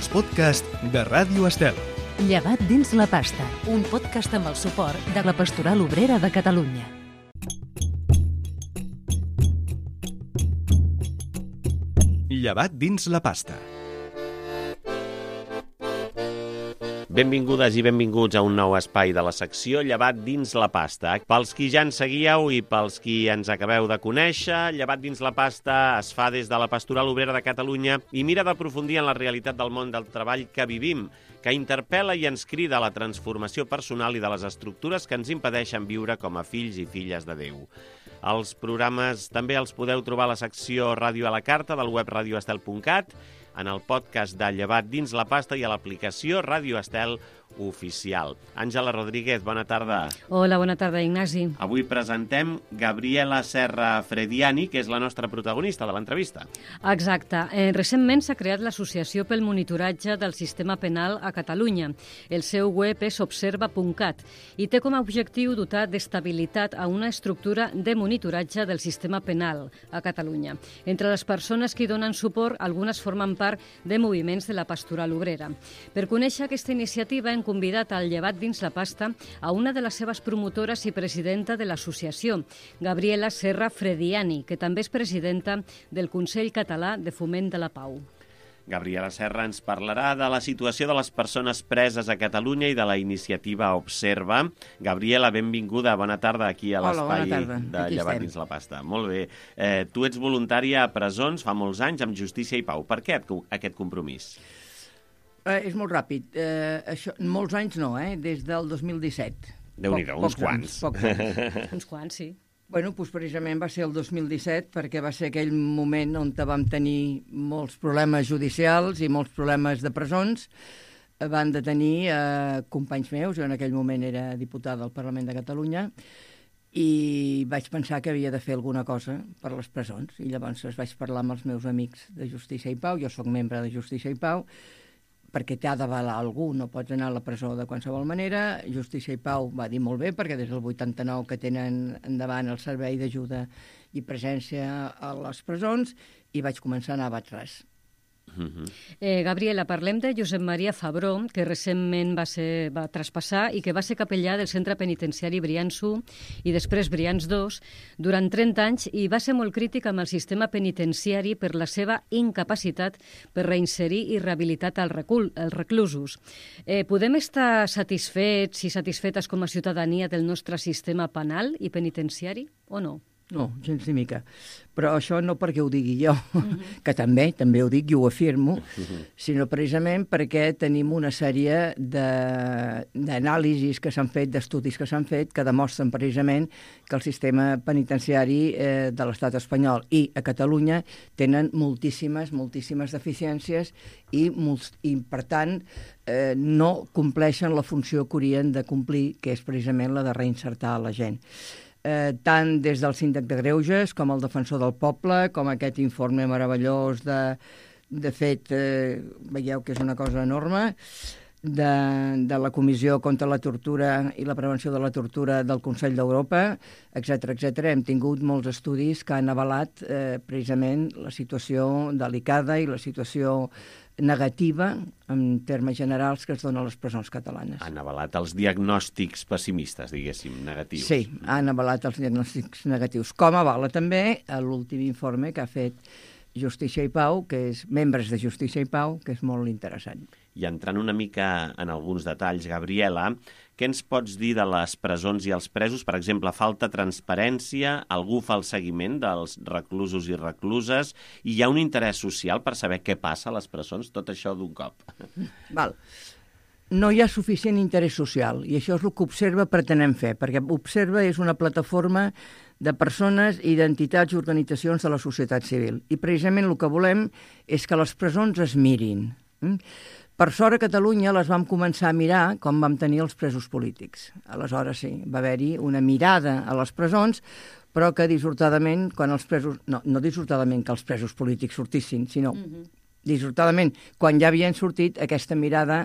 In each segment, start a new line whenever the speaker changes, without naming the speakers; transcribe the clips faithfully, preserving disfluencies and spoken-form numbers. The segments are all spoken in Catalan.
els podcasts de Ràdio Estel.
Llevat dins la pasta, un podcast amb el suport de la Pastoral Obrera de Catalunya.
Llevat dins la pasta.
Benvingudes i benvinguts a un nou espai de la secció Llevat dins la pasta. Pels qui ja ens seguíeu i pels qui ens acabeu de conèixer, Llevat dins la pasta es fa des de la Pastoral Obrera de Catalunya i mira d'aprofundir en la realitat del món del treball que vivim, que interpel·la i ens crida a la transformació personal i de les estructures que ens impedeixen viure com a fills i filles de Déu. Els programes també els podeu trobar a la secció Ràdio a la Carta del web radioestel punt cat, en el podcast de Llevat dins la pasta i a l'aplicació Ràdio Estel oficial. Àngela Rodríguez, bona tarda.
Hola, bona tarda, Ignasi.
Avui presentem Gabriela Serra Frediani, que és la nostra protagonista de l'entrevista.
Exacte. Eh, recentment s'ha creat l'Associació pel Monitoratge del Sistema Penal a Catalunya. El seu web és observa punt cat i té com a objectiu dotar d'estabilitat a una estructura de monitoratge del sistema penal a Catalunya. Entre les persones que hi donen suport, algunes formen part de moviments de la Pastoral Obrera. Per conèixer aquesta iniciativa hem convidat al Llevat dins la pasta a una de les seves promotores i presidenta de l'associació, Gabriela Serra Frediani, que també és presidenta del Consell Català de Foment de la Pau.
Gabriela Serra ens parlarà de la situació de les persones preses a Catalunya i de la iniciativa Observa. Gabriela, benvinguda, bona tarda aquí a l'espai de Llevat dins la pasta. Molt bé. Eh, tu ets voluntària a presons fa molts anys amb Justícia i Pau. Per què aquest compromís?
Eh, és molt ràpid. Eh, això, molts anys no, eh? Des del dos mil disset.
Déu-n'hi-do, uns quants.
Pocs anys.
Uns quants, sí.
Bueno, doncs precisament va ser el dos mil disset perquè va ser aquell moment on vam tenir molts problemes judicials i molts problemes de presons. Van detenir eh, companys meus, jo en aquell moment era diputada al Parlament de Catalunya, i vaig pensar que havia de fer alguna cosa per les presons. I llavors vaig parlar amb els meus amics de Justícia i Pau, jo sóc membre de Justícia i Pau, perquè t'ha d'avalar algú, no pots anar a la presó de qualsevol manera. Justícia i Pau va dir molt bé, perquè des del vuitanta-nou que tenen endavant el servei d'ajuda i presència a les presons, i vaig començar a anar a Baix-ras.
Uh-huh.
eh, Gabriela, parlem de Josep Maria Fabró, que recentment va, ser, va traspassar i que va ser capellà del centre penitenciari Brians u i després Brians dos durant trenta anys i va ser molt crític amb el sistema penitenciari per la seva incapacitat per reinserir i rehabilitar els recul, els reclusos. Eh, podem estar satisfets i satisfetes com a ciutadania del nostre sistema penal i penitenciari o no?
No, gens ni mica. Però això no perquè ho digui jo, uh-huh. que també, també ho dic i ho afirmo, uh-huh. sinó precisament perquè tenim una sèrie d'anàlisis que s'han fet, d'estudis que s'han fet, que demostren precisament que el sistema penitenciari eh, de l'estat espanyol i a Catalunya tenen moltíssimes, moltíssimes deficiències i, i per tant, eh, no compleixen la funció que haurien de complir, que és precisament la de reinsertar la gent. Eh, tant des del síndic de Greuges com el defensor del poble, com aquest informe meravellós de, de fet, eh, veieu que és una cosa enorme, de, de la Comissió contra la Tortura i la Prevenció de la Tortura del Consell d'Europa, etcètera, etcètera. Hem tingut molts estudis que han avalat eh, precisament la situació delicada i la situació negativa, en termes generals, que es dona a les presons catalanes.
Han avalat els diagnòstics pessimistes, diguéssim, negatius.
Sí, han avalat els diagnòstics negatius. Com avala també l'últim informe que ha fet Justícia i Pau, que és membres de Justícia i Pau, que és molt interessant.
I entrant una mica en alguns detalls, Gabriela, què ens pots dir de les presons i els presos? Per exemple, falta transparència, algú fa el seguiment dels reclusos i recluses, i hi ha un interès social per saber què passa a les presons, tot això d'un cop.
Val. No hi ha suficient interès social, i això és el que Observa pretenem fer, perquè Observa és una plataforma de persones, identitats i organitzacions de la societat civil. I precisament el que volem és que les presons es mirin. Per sort a Catalunya les vam començar a mirar com vam tenir els presos polítics. Aleshores sí, va haver-hi una mirada a les presons, però que dissortadament, quan els presos... No, no dissortadament que els presos polítics sortissin, sinó uh-huh. dissortadament, quan ja havien sortit, aquesta mirada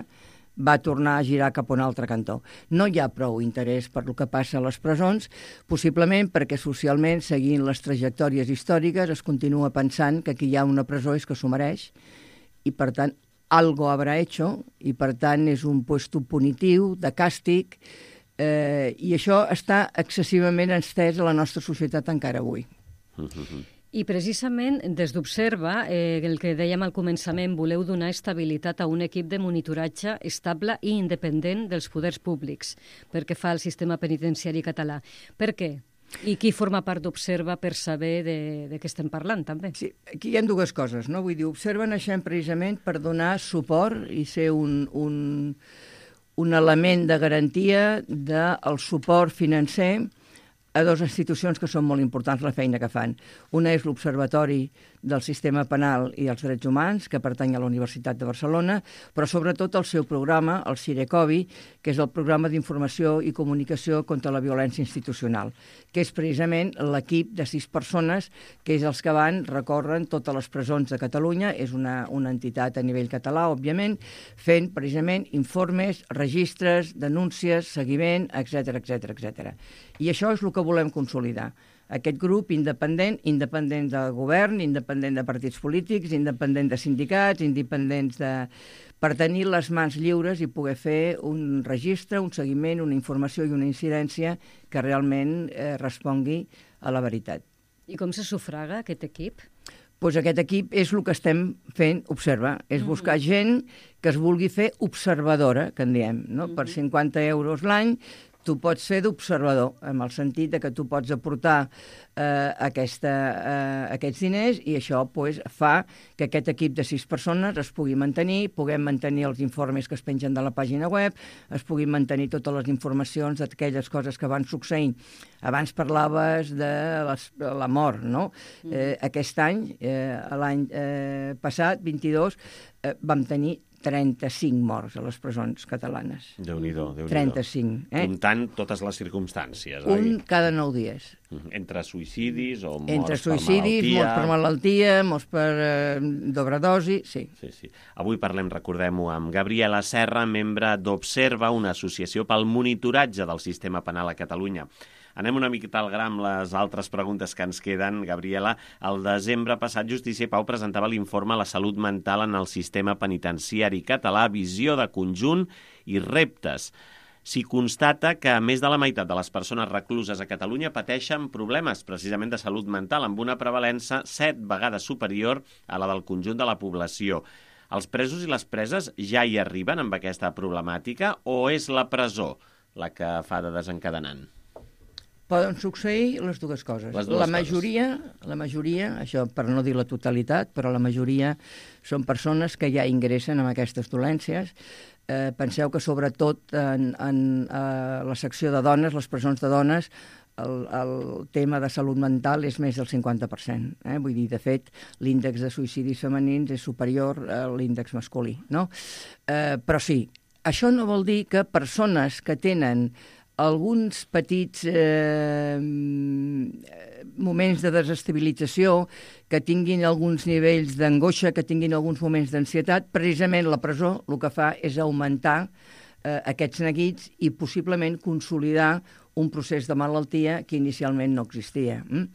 va tornar a girar cap a un altre cantó. No hi ha prou interès per el que passa a les presons, possiblement perquè socialment, seguint les trajectòries històriques, es continua pensant que qui hi ha una presó és que s'ho mereix, i per tant algo habrà hecho, i per tant és un puesto punitiu, de càstig, eh, i això està excessivament estès a la nostra societat encara avui.
Uh-huh.
I precisament des d'Observa, eh, el que dèiem al començament, voleu donar estabilitat a un equip de monitoratge estable i independent dels poders públics perquè fa el sistema penitenciari català. Per què? I qui forma part d'Observa per saber de, de què estem parlant, també?
Sí, aquí hi ha dues coses, no? Vull dir, Observa naixem precisament per donar suport i ser un, un, un element de garantia del suport financer a dues institucions que són molt importants la feina que fan. Una és l'Observatori del Sistema Penal i els Drets Humans, que pertany a la Universitat de Barcelona, però sobretot el seu programa, el CIRECOVI, que és el Programa d'Informació i Comunicació contra la Violència Institucional, que és precisament l'equip de sis persones que és els que van, recorren totes les presons de Catalunya, és una, una entitat a nivell català, òbviament, fent precisament informes, registres, denúncies, seguiment, etcètera, etcètera, etcètera. I això és el que volem consolidar. Aquest grup independent, independent del govern, independent de partits polítics, independent de sindicats, independents de... per tenir les mans lliures i poder fer un registre, un seguiment, una informació i una incidència que realment eh, respongui a la veritat.
I com se sufraga aquest equip?
Pues aquest equip és el que estem fent, Observa, és buscar mm-hmm. gent que es vulgui fer observadora, que en diem, no? Mm-hmm. Per cinquanta euros l'any tu pots fer d'observador, en el sentit de que tu pots aportar eh, aquesta, eh, aquests diners i això pues, fa que aquest equip de sis persones es pugui mantenir, puguem mantenir els informes que es pengen de la pàgina web, es puguin mantenir totes les informacions d'aquelles coses que van succeint. Abans parlaves de les, la mort, no? Mm. Eh, aquest any, eh, l'any eh, passat, vint-i-dos, eh, vam tenir trenta-cinc morts a les presons catalanes.
Déu-n'hi-do, Déu-n'hi-do.
trenta-cinc. Eh?
Comptant totes les circumstàncies,
Un
oi?
cada nou dies.
Entre suïcidis o morts
Entre
per
suïcidis,
malaltia.
morts per malaltia, morts per eh, d'ovredosi, sí.
Sí, sí. Avui parlem, recordem-ho, amb Gabriela Serra, membre d'Observa, una associació pel monitoratge del sistema penal a Catalunya. Anem una miqueta al gra amb les altres preguntes que ens queden. Gabriela, el desembre passat Justícia i Pau presentava l'informe La salut mental en el sistema penitenciari català, visió de conjunt i reptes. S'hi constata que més de la meitat de les persones recluses a Catalunya pateixen problemes precisament de salut mental, amb una prevalença set vegades superior a la del conjunt de la població. Els presos i les preses ja hi arriben amb aquesta problemàtica o és la presó la que fa de desencadenant?
Poden succeir les dues coses.
Les dues
la majoria, coses. La majoria, això per no dir la totalitat, però la majoria són persones que ja ingressen amb aquestes dolències. Eh, penseu que sobretot en, en eh, la secció de dones, les presons de dones, el, el tema de salut mental és més del cinquanta per cent. Eh? Vull dir, de fet, l'índex de suïcidis femenins és superior a l'índex masculí, no? Eh, però sí, això no vol dir que persones que tenen alguns petits eh, moments de desestabilització, que tinguin alguns nivells d'angoixa, que tinguin alguns moments d'ansietat, precisament la presó el que fa és augmentar eh, aquests neguits i possiblement consolidar un procés de malaltia que inicialment no existia. Mm?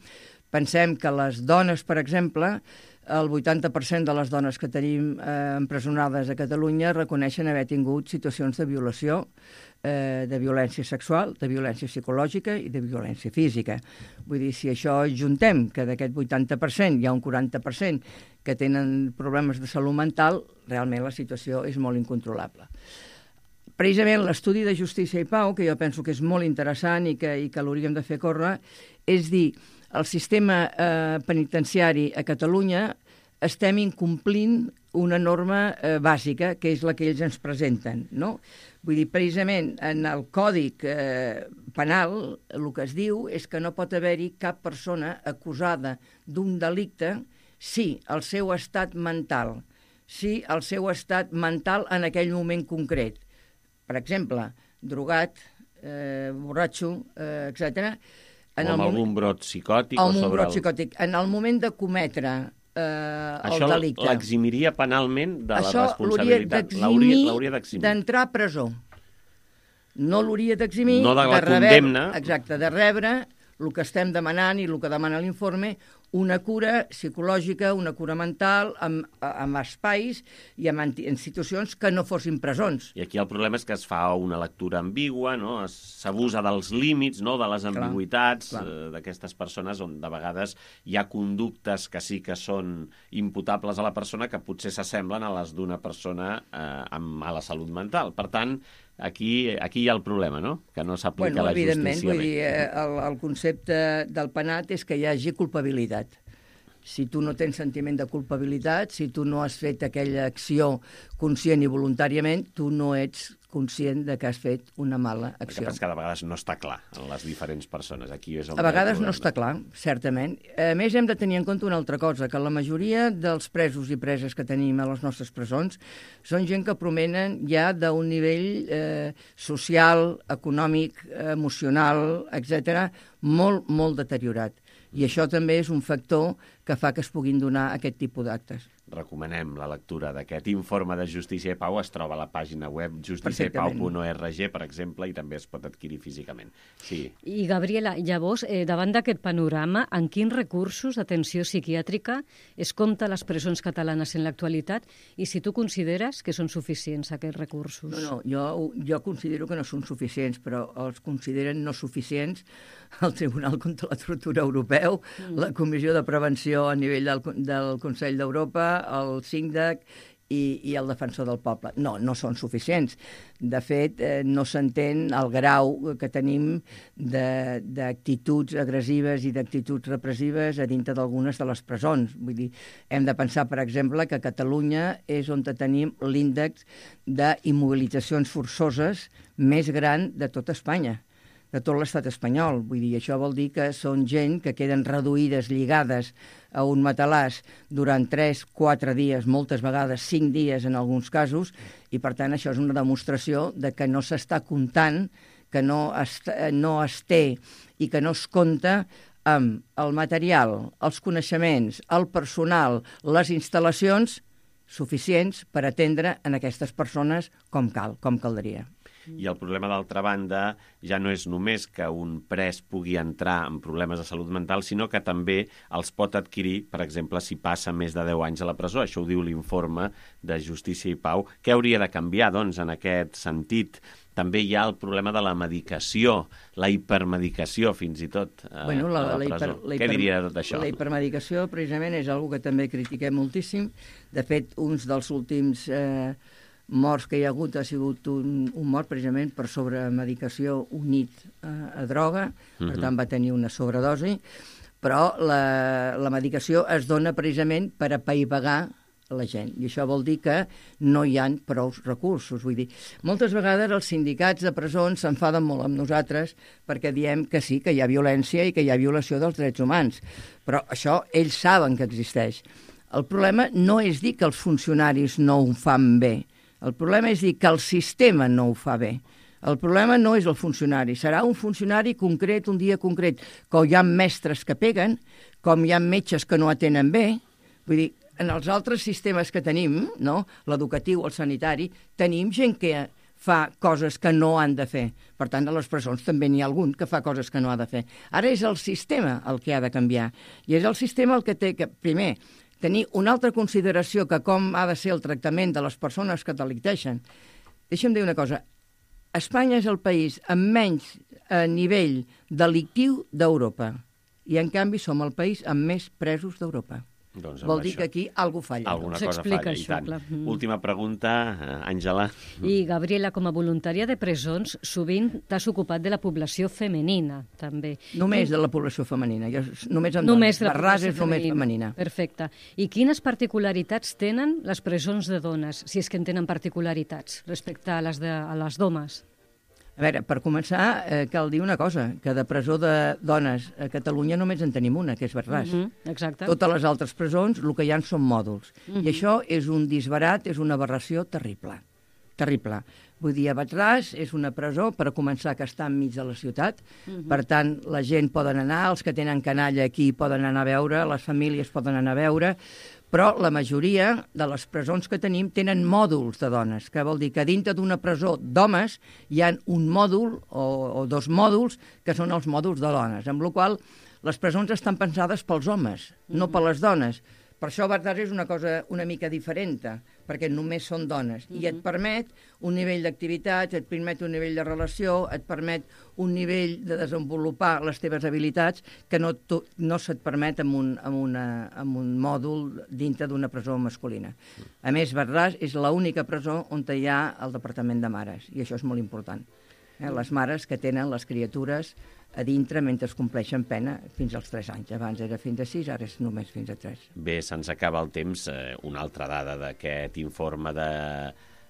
Pensem que les dones, per exemple, el vuitanta per cent de les dones que tenim eh, empresonades a Catalunya reconeixen haver tingut situacions de violació, eh, de violència sexual, de violència psicològica i de violència física. Vull dir, si això juntem, que d'aquest vuitanta per cent hi ha un quaranta per cent que tenen problemes de salut mental, realment la situació és molt incontrolable. Precisament l'estudi de Justícia i Pau, que jo penso que és molt interessant i que, i que l'hauríem de fer córrer, és dir, el sistema eh, penitenciari a Catalunya estem incomplint una norma eh, bàsica, que és la que ells ens presenten, no? Vull dir, precisament, en el Codi eh, Penal el que es diu és que no pot haver-hi cap persona acusada d'un delicte si el seu estat mental, si el seu estat mental en aquell moment concret, per exemple, drogat, eh, borratxo, eh, etcètera,
en o amb algun moment, brot psicòtic.
O
amb
un brot
el...
psicòtic. En el moment de cometre eh,
això
el delicte.
Això l'eximiria penalment de
això
la responsabilitat.
Això l'hauria
d'eximir
d'entrar a presó. No l'hauria d'eximir
no de la
de rebre,
condemna.
Exacte, de rebre el que estem demanant i el que demana l'informe, una cura psicològica, una cura mental, amb, amb espais i amb institucions que no fossin presons.
I aquí el problema és que es fa una lectura ambigua, no? S'abusa dels límits, no? De les ambigüitats clar, clar. d'aquestes persones, on de vegades hi ha conductes que sí que són imputables a la persona que potser s'assemblen a les d'una persona eh, amb mala salut mental. Per tant, aquí, aquí hi ha el problema, no? Que no s'aplica
bueno,
la justícia.
Evidentment, vull dir, el, el concepte del penat és que hi hagi culpabilitat. Si tu no tens sentiment de culpabilitat, si tu no has fet aquella acció conscient i voluntàriament, tu no ets conscient de que has fet una mala acció.
El que passa que de vegades no està clar en les diferents persones. Aquí és
a vegades no està clar, certament. A més, hem de tenir en compte una altra cosa, que la majoria dels presos i preses que tenim a les nostres presons són gent que provenen ja d'un nivell eh, social, econòmic, emocional, etcètera, molt, molt deteriorat. I això també és un factor que fa que es puguin donar aquest tipus d'actes.
Recomanem la lectura d'aquest informe de Justícia i Pau. Es troba a la pàgina web justícia i pau punt org, per exemple, i també es pot adquirir físicament. Sí.
I, Gabriela, llavors, eh, davant d'aquest panorama, en quins recursos d'atenció psiquiàtrica es compta a les presons catalanes en l'actualitat i si tu consideres que són suficients aquests recursos?
No, no, jo, jo considero que no són suficients, però els consideren no suficients el Tribunal contra la Tortura Europeu, mm. la Comissió de Prevenció a nivell del, del Consell d'Europa, el SINDAC i, i el Defensor del Poble. No, no són suficients. De fet, eh, no s'entén el grau que tenim d'actituds agressives i d'actituds repressives a dintre d'algunes de les presons. Vull dir, hem de pensar, per exemple, que a Catalunya és on tenim l'índex d'immobilitzacions forçoses més gran de tot Espanya, de tot l'estat espanyol. Vull dir, això vol dir que són gent que queden reduïdes, lligades a un matalàs durant tres, quatre dies, moltes vegades cinc dies en alguns casos, i per tant això és una demostració de que no s'està comptant, que no es, no es té i que no es compta amb el material, els coneixements, el personal, les instal·lacions suficients per atendre en aquestes persones com cal, com caldria.
I el problema, d'altra banda, ja no és només que un pres pugui entrar en problemes de salut mental, sinó que també els pot adquirir, per exemple, si passa més de deu anys a la presó. Això ho diu l'informe de Justícia i Pau. Què hauria de canviar, doncs, en aquest sentit? També hi ha el problema de la medicació, la hipermedicació, fins i tot, a,
bueno, la,
a la presó. La hiper, la hiper, Què diria de tot això?
La hipermedicació, precisament, és una que també critiquem moltíssim. De fet, uns dels últims eh, morts que hi ha hagut ha sigut un, un mort precisament per sobremedicació unit a, a droga, uh-huh. Per tant va tenir una sobredosi, però la, la medicació es dona precisament per apaivagar la gent, i això vol dir que no hi ha prou recursos. Vull dir, moltes vegades els sindicats de presons s'enfaden molt amb nosaltres perquè diem que sí, que hi ha violència i que hi ha violació dels drets humans, però això ells saben que existeix. El problema no és dir que els funcionaris no ho fan bé, el problema és dir que el sistema no ho fa bé. El problema no és el funcionari, serà un funcionari concret, un dia concret, com hi ha mestres que peguen, com hi ha metges que no atenen bé. Vull dir, en els altres sistemes que tenim, no? L'educatiu, el sanitari, tenim gent que fa coses que no han de fer. Per tant, a les presons també n'hi ha algun que fa coses que no ha de fer. Ara és el sistema el que ha de canviar. I és el sistema el que té que, primer, tenir una altra consideració que com ha de ser el tractament de les persones que delicteixen. Deixa'm dir una cosa. Espanya és el país amb menys eh, nivell delictiu d'Europa. I, en canvi, som el país amb més presos d'Europa.
Doncs
Vol dir
això,
que aquí alguna falla.
Alguna cosa falla,
això,
i tant.
Clar.
Última pregunta, Àngela.
I, Gabriela, com a voluntària de presons, sovint t'has ocupat de la població femenina, també.
Només de la població femenina. Jo, només amb
només
dones. Barràs és només femenina.
Perfecte. I quines particularitats tenen les presons de dones, si és que en tenen particularitats, respecte a les, de, a les d'homes?
A veure, per començar, eh, cal dir una cosa, que de presó de dones a Catalunya només en tenim una, que és Barràs.
Uh -huh, exacte.
Totes les altres presons, el que hi ha són mòduls. Uh -huh. I això és un disbarat, és una aberració terrible. Terrible. Vull dir, a Barràs és una presó, per començar, que està enmig de la ciutat. Uh -huh. Per tant, la gent poden anar, els que tenen canalla aquí poden anar a veure, les famílies poden anar a veure, però la majoria de les presons que tenim tenen mòduls de dones, que vol dir que dintre d'una presó d'homes hi ha un mòdul o, o dos mòduls que són els mòduls de dones, amb la qual Les presons estan pensades pels homes, no per les dones. Per això Bardars és una cosa una mica diferent, perquè només són dones. I et permet un nivell d'activitats, et permet un nivell de relació, et permet un nivell de desenvolupar les teves habilitats que no, tu, no se't permet amb un, amb, una, amb un mòdul dintre d'una presó masculina. A més, Bardars és l'única presó on hi ha el departament de mares, i això és molt important. Eh? Les mares que tenen les criatures a dintre mentre es compleixen pena fins als tres anys. Abans era fins a sis, ara és només fins a tres.
Bé, se'ns acaba el temps. Eh, una altra dada d'aquest informe de,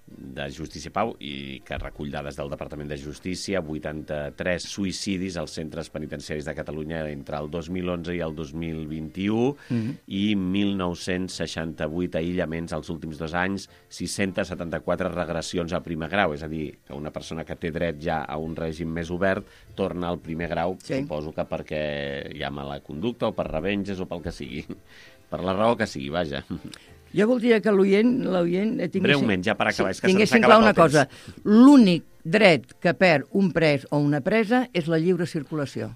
de Justícia i Pau i que recull dades del Departament de Justícia, vuitanta-tres suïcidis als centres penitenciaris de Catalunya entre el dos mil onze i el dos mil vint-i-u mm-hmm. i mil nou-cents seixanta-vuit aïllaments els últims dos anys, sis-centes setanta-quatre regressions a primer grau, és a dir, que una persona que té dret ja a un règim més obert torna al primer grau, sí. Suposo que perquè hi ha mala conducta o per revenges o pel que sigui, per la raó que sigui, vaja.
Jo voldria que l'oient... tinguessin...
Breument, ja per acabar, és que
tinguessin clar una cosa. L'únic dret que perd un pres o una presa és la lliure circulació.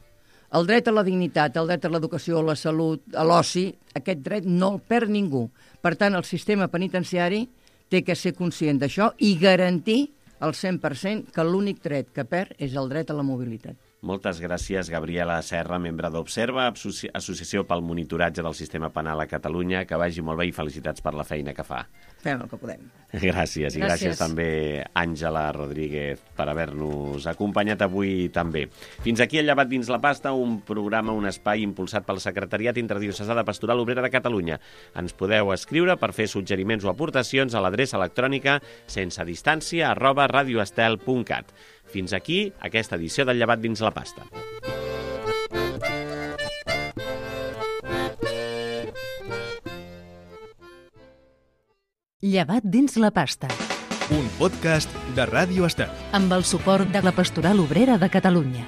El dret a la dignitat, el dret a l'educació, a la salut, a l'oci, aquest dret no el perd ningú. Per tant, el sistema penitenciari té que ser conscient d'això i garantir al cent per cent que l'únic dret que perd és el dret a la mobilitat.
Moltes gràcies, Gabriela Serra, membre d'Observa, Associació pel Monitoratge del Sistema Penal a Catalunya. Que vagi molt bé i felicitats per la feina que fa.
Fem el que podem.
Gràcies, i gràcies, gràcies també, Àngela Rodríguez, per haver-nos acompanyat avui també. Fins aquí el Llevat dins la pasta, un programa, un espai impulsat pel Secretariat Interdiocesà de Pastoral Obrera de Catalunya. Ens podeu escriure per fer suggeriments o aportacions a l'adreça electrònica sense distància arroba radioestel punt cat. Fins aquí aquesta edició del Llevat dins la pasta.
Llevat dins la pasta.
Un podcast de Ràdio Estel.
Amb el suport de la Pastoral Obrera de Catalunya.